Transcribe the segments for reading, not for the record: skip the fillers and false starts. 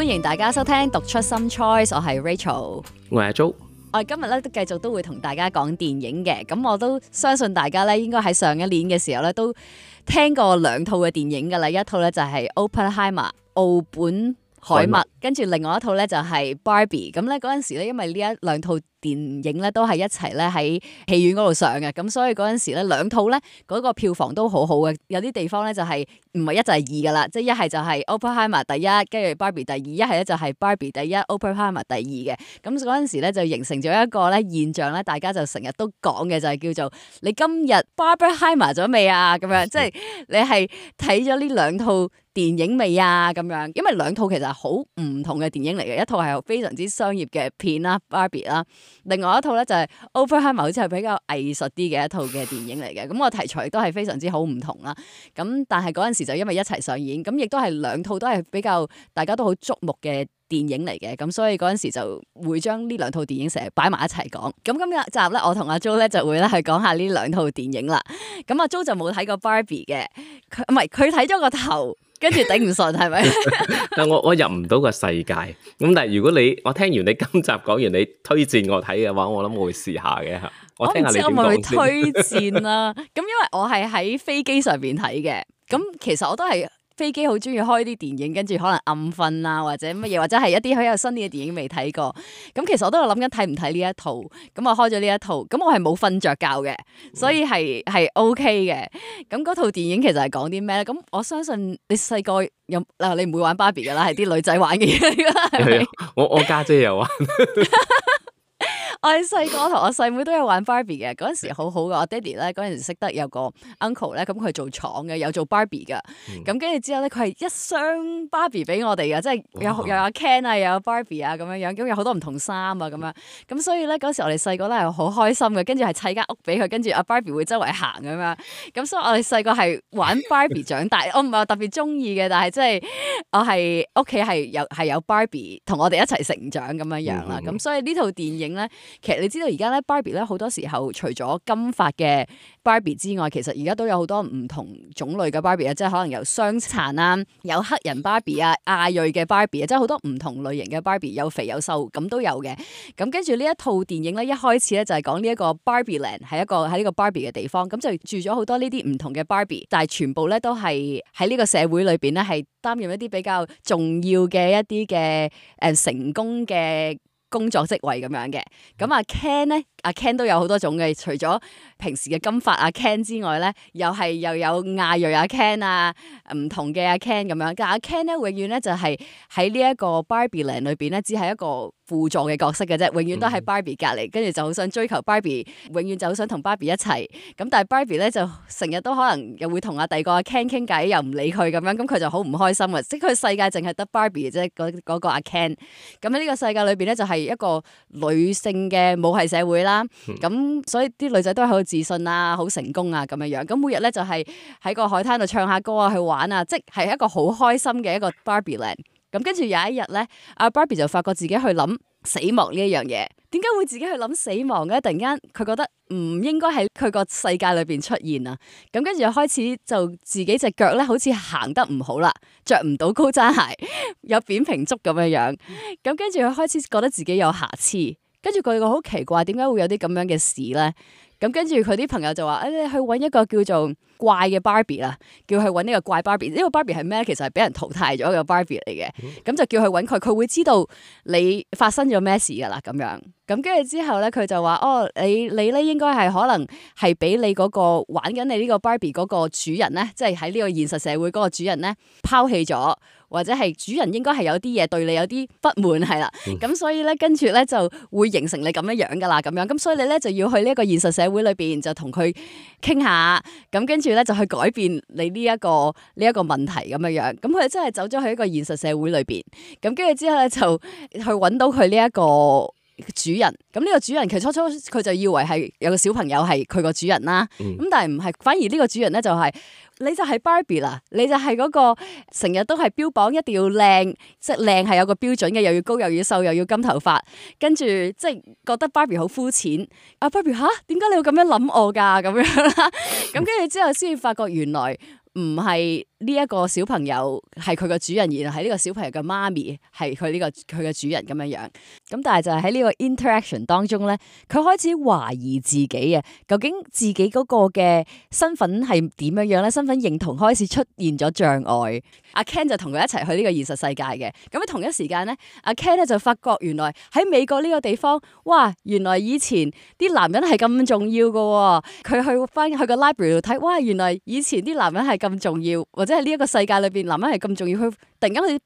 歡迎大家收聽讀出 Some Choice， 我係 Rachel， 我係阿 Jo。我哋今日咧都繼續都會同大家講電影嘅，咁我都相信大家咧應該喺上一年嘅時候咧都聽過兩套嘅電影噶啦，一套咧就係 Oppenheimer 奧本海默，跟住另外一套咧就係 Barbie。咁咧嗰陣時咧，因為呢一兩套電影咧都係一齊咧喺戲院嗰度上嘅，咁所以嗰陣時咧兩套咧嗰個票房都好好嘅，有啲地方咧就係唔係一就係二噶啦，即係一係就係 Oppenheimer 第一，跟住 Barbie 第二，一係咧就係 Barbie 第一 Oppenheimer 第二嘅。咁嗰陣時咧就形成咗一個咧現象咧，大家就成日都講嘅就係叫做你今日 Barbenheimer 咗未啊？咁樣即係你係睇咗呢兩套電影未啊？咁樣，因為兩套其實係好唔同嘅電影嚟嘅，一套係非常之商業嘅片啦 Barbie 啦，另外一套咧就係 Oppenheimer 好似係比較藝術啲嘅一套嘅電影嚟嘅，咁個題材都係非常之好唔同啦。咁但係嗰陣時就因為一齊上演，咁亦都係兩套都係比較大家都好矚目嘅電影嚟嘅，咁所以嗰陣時就會將呢兩套電影成日擺埋一齊講。咁今日集咧，我同阿 Jo 咧就會咧去講下呢兩套電影啦。咁阿 Jo 就冇睇過 Barbie 嘅，佢睇咗個頭。跟住頂唔順係咪？但我入唔到個世界。咁但係如果我聽完你今集講完，你推薦我睇嘅話，我諗我會試下嘅。我聽下你點講先。我唔知我咪去推薦啦。咁因為我係喺飛機上邊睇嘅，咁其實我都係。飛機好中意開啲電影，跟住可能暗瞓啊，或者乜嘢，或者係一啲好有新嘅電影未睇過。咁其實我都有諗緊睇唔睇呢一套。咁我開咗呢一套，咁我係冇瞓着覺嘅，所以係 OK 嘅。咁嗰套電影其實係講啲咩咧？咁我相信你細個你唔會玩 Barbie 噶啦，係啲女仔玩嘅嘢嚟㗎啦，係咪？我家姐有玩。我哋細個同我細妹都有玩 Barbie 嘅，嗰陣時好好嘅。我爹哋咧嗰陣時識得有個 uncle 咧，咁佢做廠嘅，有做 Barbie 嘅。咁跟住之後咧，佢係一箱 Barbie 俾我哋嘅，即係又有 Ken 啊，又有 Barbie 啊咁樣樣，咁有好多唔同衫啊咁樣。咁所以咧嗰時我哋細個咧係好開心嘅，跟住係砌間屋俾佢，跟住阿 Barbie 會周圍行咁樣。咁所以我哋細個係玩 Barbie 長大。我唔係話特別中意嘅，但係即係我係屋企係有 Barbie 同我哋一齊成長咁樣樣啦。咁所以呢套電影咧。其實你知道而家咧 Barbie 咧好多時候除咗金髮嘅 Barbie 之外，其實而家都有好多唔同種類嘅 Barbie 啊，即係可能有傷殘啊，有黑人 Barbie 啊，亞裔嘅 Barbie 啊，即係好多唔同類型嘅 Barbie， 有肥有瘦咁都有嘅。咁跟住呢一套電影咧，一開始咧就係講呢一個 Barbie Land 係一個喺呢個 Barbie 嘅地方，咁就住咗好多呢啲唔同嘅 Barbie， 但係全部咧都係喺呢個社會裏邊咧係擔任一啲比較重要嘅一啲嘅成功嘅工作職位咁樣嘅。咁阿 Ken 咧，阿 Ken 都有好多種嘅，除咗平時嘅金髮阿 Ken 之外咧，又有亞裔阿 Ken 啊，唔同嘅阿 Ken 咁樣。但阿 Ken 咧，永遠咧就係喺呢一個 Barbie Land 裏邊咧，只係一個輔助嘅角色嘅啫，永遠都喺 Barbie 隔離，跟住就好想追求 Barbie， 永遠就好想同 Barbie 一齊。咁但係 Barbie 咧就成日都可能又會同第二個阿 Ken 傾偈，又唔理佢咁樣，咁佢就好唔開心啊！即係佢世界淨係得 Barbie 嘅啫，嗰個阿 Ken。咁喺呢個世界裏邊咧，就係一個女性嘅母系社會啦。咁所以啲女仔都係好自信啊，好成功啊咁樣樣。咁每日咧就係喺個海灘度唱下歌啊，去玩啊，即係一個好開心嘅一個 Barbie Land。咁跟住有一日咧，阿 Barbie 就發覺自己去諗死亡呢一樣嘢，點解會自己去諗死亡嘅？突然間佢覺得唔應該喺佢個世界裏邊出現啊！咁跟住開始就自己隻腳咧，好似行得唔好啦，着唔到高踭鞋，有扁平足咁樣樣。咁跟住佢開始覺得自己有瑕疵，跟住佢個好奇怪，點解會有啲咁樣嘅事咧？咁跟住佢啲朋友就話：你去揾一個叫做怪嘅 Barbie 啦，叫佢揾呢個怪 Barbie。呢個 Barbie 係咩？其實係俾人淘汰咗嘅 Barbie 嚟嘅。咁就叫佢揾佢，佢會知道你發生咗咩事噶啦。咁樣。咁跟住之後咧，佢就話：你咧應該係可能係俾你嗰個玩緊你呢個 Barbie 嗰個主人咧，即係喺呢個現實社會嗰個主人咧拋棄咗。或者係主人應該係有啲嘢對你有啲不滿係啦，咁所以咧跟住咧就會形成你咁樣樣噶啦，咁樣咁所以你咧就要去呢一個現實社會裏邊就同佢傾下，咁跟住咧就去改變你呢一個問題咁樣樣，咁佢真係走咗去一個現實社會裏邊，咁跟住之後咧就去揾到佢呢一個主人，咁呢個主人其實初佢就以為係有個小朋友係佢個主人啦，咁但係唔係，反而呢個主人咧就係。你就係 Barbie 啦，你就係嗰個成日都係標榜一定要靚，即係靚係有個標準嘅，又要高又要瘦又要金頭髮，跟住即係覺得 Barbie 好膚淺。啊 Barbie 吓，點解你要咁樣諗我㗎咁樣啦？咁跟住之後先至發覺原來唔係呢一個小朋友係佢個主人，然後喺呢個小朋友嘅媽咪係佢嘅主人咁樣樣。咁但係就係喺呢個 interaction 當中咧，佢開始懷疑自己啊，究竟自己嗰個嘅身份係點樣樣咧？身份認同開始出現咗障礙。阿 Ken 就同佢一齊去呢個現實世界嘅。咁喺同一時間咧，阿 Ken 咧就發覺原來喺美國呢個地方，哇！原來以前啲男人係咁重要㗎喎。佢去個 library 度睇，哇！原來以前啲男人係咁重要，或者係呢一個世界裏邊男人係咁重要。佢突然間好似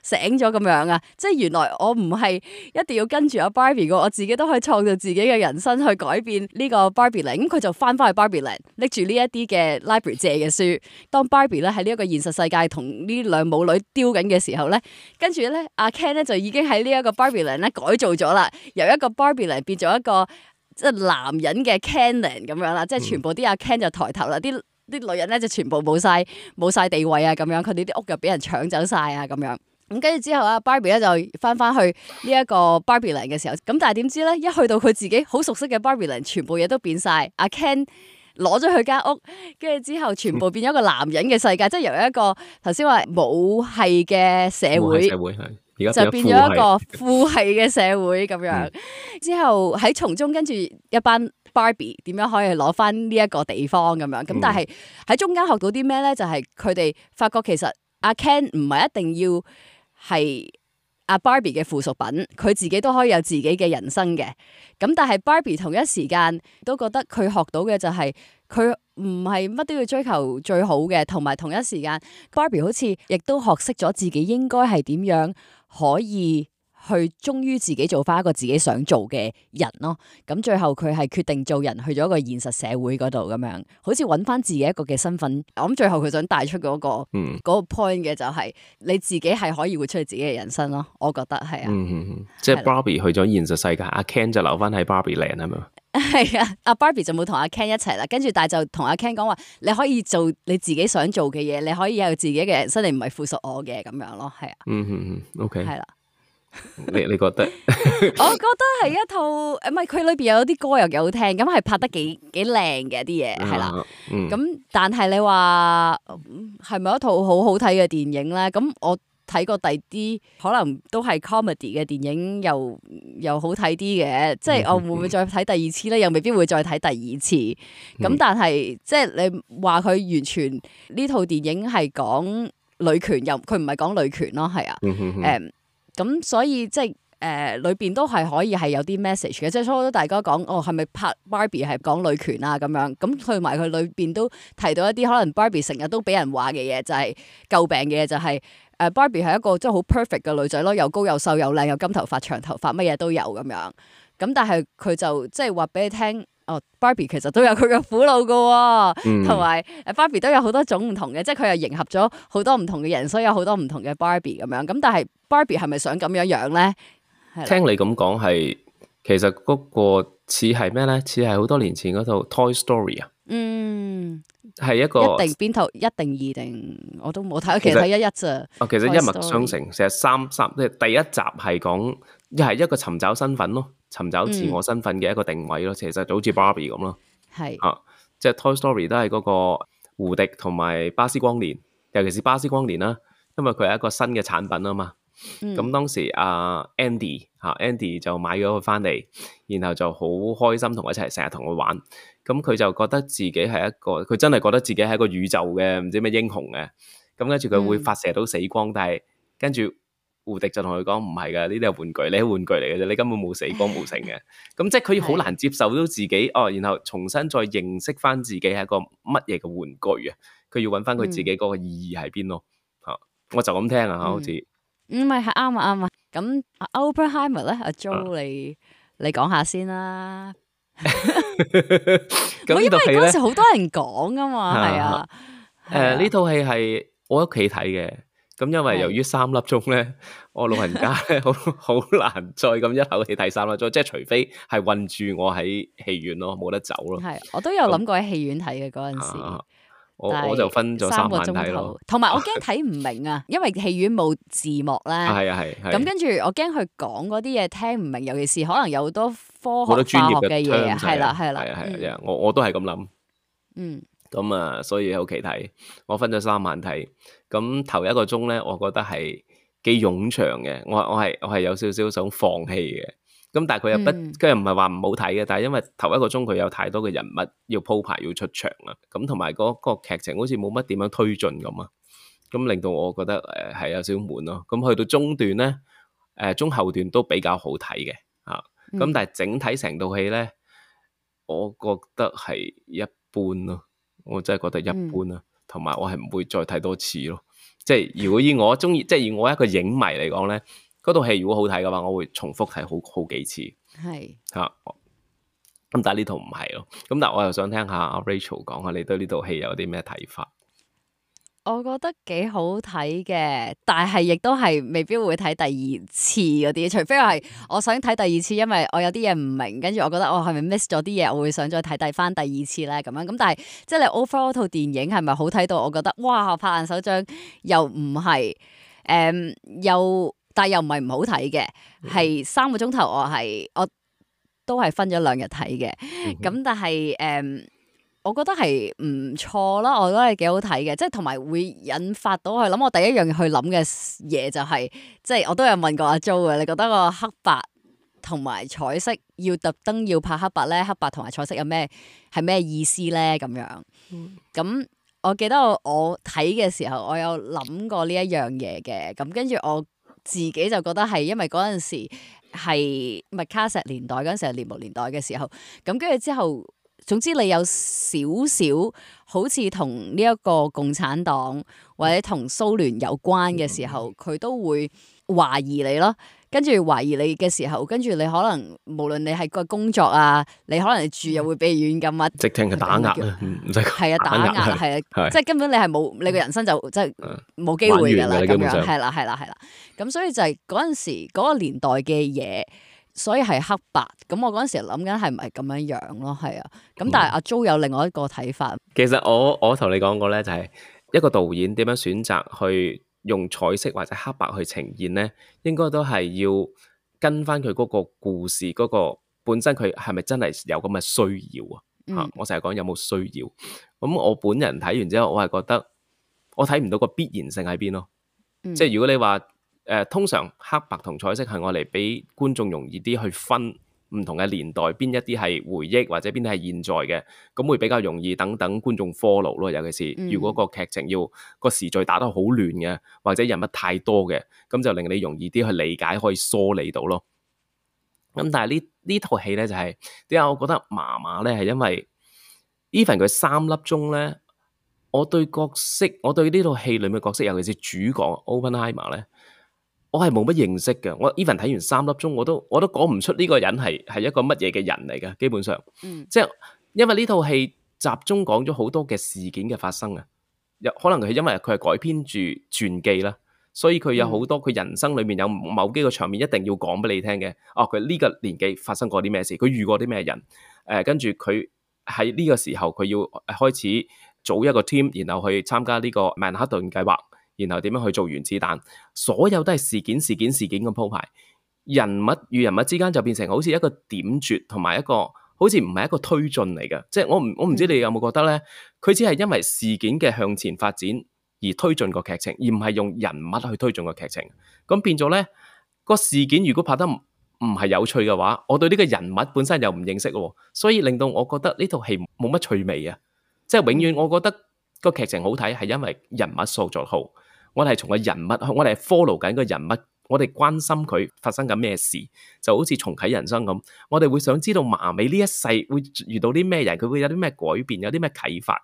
醒咗咁樣啊！即係原來我唔係一定要跟住阿 Barbie 嘅，我自己都可以創造自己嘅人生去改變呢個 Barbie Land。咁佢就翻去 Barbie Land，拎住呢一啲嘅 library 借嘅書。當 Barbie 咧喺呢一個現實世界同呢兩母女丟緊嘅時候咧，跟住咧阿 Ken 咧就已經喺呢一個 Barbie Land 咧改造咗啦，由一個 Barbie Land 變咗一個即係男人嘅 Ken Land 咁樣啦，即係全部啲阿 Ken 就抬頭啦，啲女人咧就全部冇晒地位啊，咁樣佢哋啲屋又俾人搶走晒啊，咁樣。咁跟住之後啊 Barbie 咧就翻去呢一個 Barbie Land 嘅時候，咁但係點知咧一去到佢自己好熟悉嘅 Barbie Land，全部嘢都變晒。阿 Ken 攞咗佢間屋，跟住之後全部變咗一個男人嘅世界，即係由一個頭先話母系嘅社會就變咗一個父系嘅社會咁樣。之後喺從中跟住一班 Barbie 點樣可以攞翻呢一個地方咁樣。咁但係喺中間學到啲咩咧？就係佢哋發覺其實阿 Ken 唔係一定要係阿 Barbie 嘅附屬品，佢自己都可以有自己嘅人生嘅。咁但係 Barbie 同一時間都覺得佢學到嘅就係佢唔係乜都要追求最好嘅，同埋同一時間 Barbie 好似亦都學識咗自己應該係點樣可以去忠於自己做翻一個自己想做嘅人咯。咁最後佢係決定做人，去咗一個現實社會嗰度咁樣，好似揾翻自己一個嘅身份。我諗最後佢想帶出嗰個 point 嘅就係你自己係可以活出你自己嘅人生咯。我覺得係啊，即係 Barbie 去咗現實世界，阿 Ken 就留翻喺 Barbie Land 係咪？係啊，阿 Barbie 就冇同阿 Ken 一齊啦，跟住但係就同阿 Ken 講話，你可以做你自己想做嘅嘢，你可以有自己嘅人生，你唔係附屬我嘅咁樣咯。係啊，OK，係啦。你覺得？我覺得係一套唔係佢裏邊有啲歌又幾好聽，咁係拍得幾靚嘅啲嘢係啦。咁但係你話係咪一套好好睇嘅電影咧？咁我睇過第啲可能都係 comedy 嘅電影又好睇啲嘅，即係我會唔會再睇第二次咧？又未必會再睇第二次。咁但係即係你話佢完全呢套電影係講女權，又佢唔係講女權咯，係啊，咁所以即係裏邊都係可以係有啲 message 嘅，即係初初大家講係咪拍 Barbie 係講女權啊咁樣，咁去埋佢裏邊都提到一啲可能 Barbie 成日都俾人話嘅嘢，就係詬病嘅嘢，就係Barbie 係一個即係好 perfect 嘅女仔咯，又高又瘦又靚又金頭髮長頭髮乜嘢都有咁樣，咁但係佢就即係話俾你聽。Barbie 其實都有佢嘅苦惱噶，同埋Barbie 都有好多種唔同嘅，即係佢又迎合咗好多唔同嘅人，所以有好多唔同嘅 Barbie 咁樣。咁但係 Barbie 係咪想咁樣樣咧？聽你咁講係，其實嗰個似係咩咧？似係好多年前嗰套 Toy Story 啊。係一個一定邊套一定二定我都冇睇，其實睇一咋。其實一脈相承，成日三即係第一集係講係一個尋找身份咯。尋找自我身份嘅一個定位咯，其實就好似 Barbie 咁咯，係即係 Toy Story 都係嗰個胡迪同埋巴斯光年，尤其是巴斯光年啦，因為佢係一個新嘅產品啊嘛。咁當時Andy 就買咗佢翻嚟，然後就好開心同佢一齊成日同佢玩。咁佢就覺得自己係一個，佢真係覺得自己係一個宇宙嘅唔知咩英雄嘅。咁跟住佢會發射到死光，但係跟住。胡迪就同佢講唔係噶，呢啲係玩具，你係玩具嚟嘅啫，你根本冇死光冇成嘅。咁即係佢好難接受到自己然後重新再認識翻自己係一個乜嘢嘅玩具啊。佢要揾翻佢自己嗰個意義喺邊咯。我就咁聽啊，好似唔係啱啊。咁 Oppenheimer 咧，阿 Jo 你講下先啦。因為嗰時好多人講噶嘛，係啊。呢套戲係我喺屋企睇嘅。咁因為由於3粒鐘咧，我老人家咧好難再咁一口氣睇3粒鐘，即係除非係困住我喺戲院咯，冇得走咯。係，我都有諗過喺戲院睇嘅嗰陣時，我就分咗3晚睇咯。同埋我驚睇唔明啊，因為戲院冇字幕啦。係啊係。咁跟住我驚佢講嗰啲嘢聽唔明，尤其是可能有好多科學化學嘅嘢。係啦係啦。係啊，我都係咁諗。咁啊，所以喺屋企睇，我分咗3晚睇。咁頭1個鐘咧，我覺得係幾冗長嘅，我係有少少想放棄嘅。咁但係佢又不，佢又唔係話唔好睇嘅，但係因為頭1個鐘佢有太多嘅人物要鋪排要出場啦，咁同埋嗰個劇情好似冇乜點樣推進咁啊，咁令到我覺得係有少少悶咯。咁去到中段咧，中後段都比較好睇嘅嚇，咁但係整體成套戲咧，我覺得係一般咯。我真係覺得一般啦，同埋我係唔會再睇多次咯。即係如果以我中意，即係以我一個影迷嚟講咧，嗰套戲如果好睇嘅話，我會重複睇好幾次。係嚇，咁但係呢套唔係咯。咁但係我又想聽下阿 Rachel 講下，你對呢套戲有啲咩睇法？我覺得幾好睇嘅，但係亦都係未必會睇第2次嗰啲，除非係我想睇第2次，因為我有啲嘢唔明，跟住我覺得我係咪 miss 咗啲嘢，我會想再睇翻第2次咧咁樣。咁但係即係你 overall 套電影係咪好睇到？我覺得哇，拍爛手掌又唔係，但係又唔係唔好睇嘅，係3個鐘頭我都係分咗2日睇嘅。咁但係我覺得係唔錯啦，我覺得係幾好睇嘅，即係同埋會引發到我諗，我第一樣去諗嘅嘢就係，即係我都有問過阿 Jo 嘅，你覺得個黑白同埋彩色要特登要拍黑白咧，黑白同埋彩色有咩係咩意思咧？咁樣，咁我記得我睇嘅時候，我有諗過呢一樣嘢嘅，咁跟住我自己就覺得係因為嗰陣時係麥卡錫年代嗰陣時係獵巫年代嘅時候，咁跟住之後。總之你有少少好似同呢一個共產黨或者同蘇聯有關嘅時候，佢都會懷疑你咯。跟住懷疑你嘅時候，跟住你可能無論你係個工作啊，你可能住又會被軟禁啊，直情係打壓啊，唔使係啊，打壓係啊，即係根本你係冇你個人生就即係冇機會㗎啦，咁樣係啦。咁所以就係嗰陣時嗰個年代嘅嘢。所以係黑白，咁我嗰陣時諗緊係唔係咁樣樣咯，係啊，咁但係阿 Jo 有另外一個睇法。其實我同你講過咧，就係一個導演點樣選擇去用彩色或者黑白去呈現咧，應該都係要跟翻佢嗰個故事嗰個本身，佢係咪真係有咁嘅需要啊？我成日講有冇需要。咁我本人睇完之後，我係覺得我睇唔到個必然性喺邊咯。即係如果你話。通常黑白同彩色係我嚟俾觀眾容易啲去分唔同嘅年代，邊一啲係回憶或者邊啲係現在嘅，咁會比較容易等觀眾 follow 咯。尤其是如果個劇情要個時序打得好亂嘅，或者人物太多嘅，咁就令你容易啲去理解，可以梳理到咯。咁但係呢套戲咧就係點解我覺得麻麻咧？係因為 even 佢3粒鐘咧，我對呢套戲裏面角色，尤其是主角 Oppenheimer 咧。我係冇乜認識嘅，我 even 睇完3粒鐘，我都講唔出呢個人係一個乜嘢嘅人嚟嘅，基本上，即係因為呢套戲集中講咗好多嘅事件嘅發生啊，可能係因為佢係改編住傳記啦，所以佢有好多佢人生裏面有某幾個場面一定要講俾你聽嘅。哦，佢呢個年紀發生過啲咩事，佢遇過啲咩人，跟住佢喺呢個時候佢要開始組一個 team，然後去參加呢個曼哈頓計劃。然後點樣去做原子彈，所有都係事件咁鋪排，人物與人物之間就變成好似一個點綴，同埋一個好似唔係一個推進嚟嘅。即係我唔知你有冇覺得咧，佢只係因為事件嘅向前發展而推進個劇情，而唔係用人物去推進個劇情。咁變咗咧，個事件如果拍得唔係有趣嘅話，我對呢個人物本身又唔認識喎，所以令到我覺得呢套戲冇乜趣味啊！即係永遠我覺得個劇情好睇係因為人物塑造好。我哋係從個人物，我哋係 follow 緊個人物，我哋關心佢發生緊咩事，就好似重啟人生咁。我哋會想知道麻美呢一世會遇到啲咩人，佢會有啲咩改變，有啲咩啟發。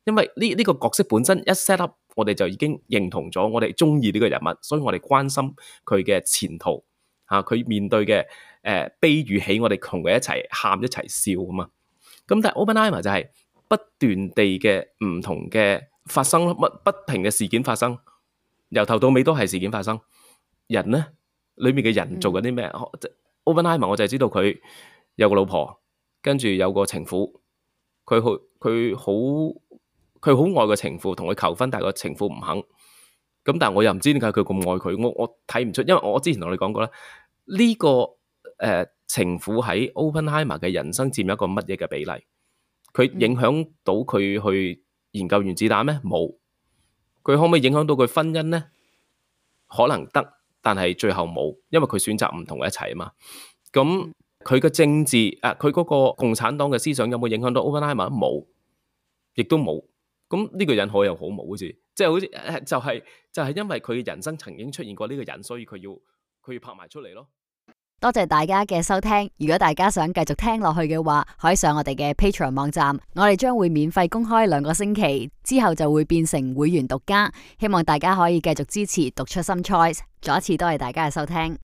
因為呢個角色本身一 set up，我哋就已經認同咗，我哋中意呢個人物，所以我哋關心佢嘅前途嚇，佢面對嘅悲與喜，我哋同佢一齊喊一齊笑啊嘛。咁但係 Oppenheimer 就係不斷地嘅唔同嘅發生咯，不停嘅事件發生。由頭到尾都係事件發生，人咧裏面嘅人做緊啲咩？Oppenheimer 我就係知道佢有個老婆，跟住有個情婦，佢好愛個情婦，同佢求婚，但係個情婦唔肯。咁但係我又唔知點解佢咁愛佢，我睇唔出，因為我之前同你講過啦，呢個情婦喺 Oppenheimer 嘅人生佔一個乜嘢嘅比例？佢影響到佢去研究原子彈咩？冇。佢可唔可以影響到佢婚姻咧？可能得，但係最後冇，因為佢選擇唔同嘅一齊啊嘛。咁佢嘅政治佢嗰個共產黨嘅思想有冇影響到 Oppenheimer？冇，亦都冇。咁呢個人可有可無，好似即係好似就係因為佢人生曾經出現過呢個人，所以佢要拍埋出嚟咯。多謝大家嘅收聽，如果大家想繼續聽落去嘅話，可以上我哋嘅 Patreon 網站，我哋將會免費公開2個星期，之後就會變成會員獨家，希望大家可以繼續支持讀出 Some Choice。再一次多謝大家嘅收聽。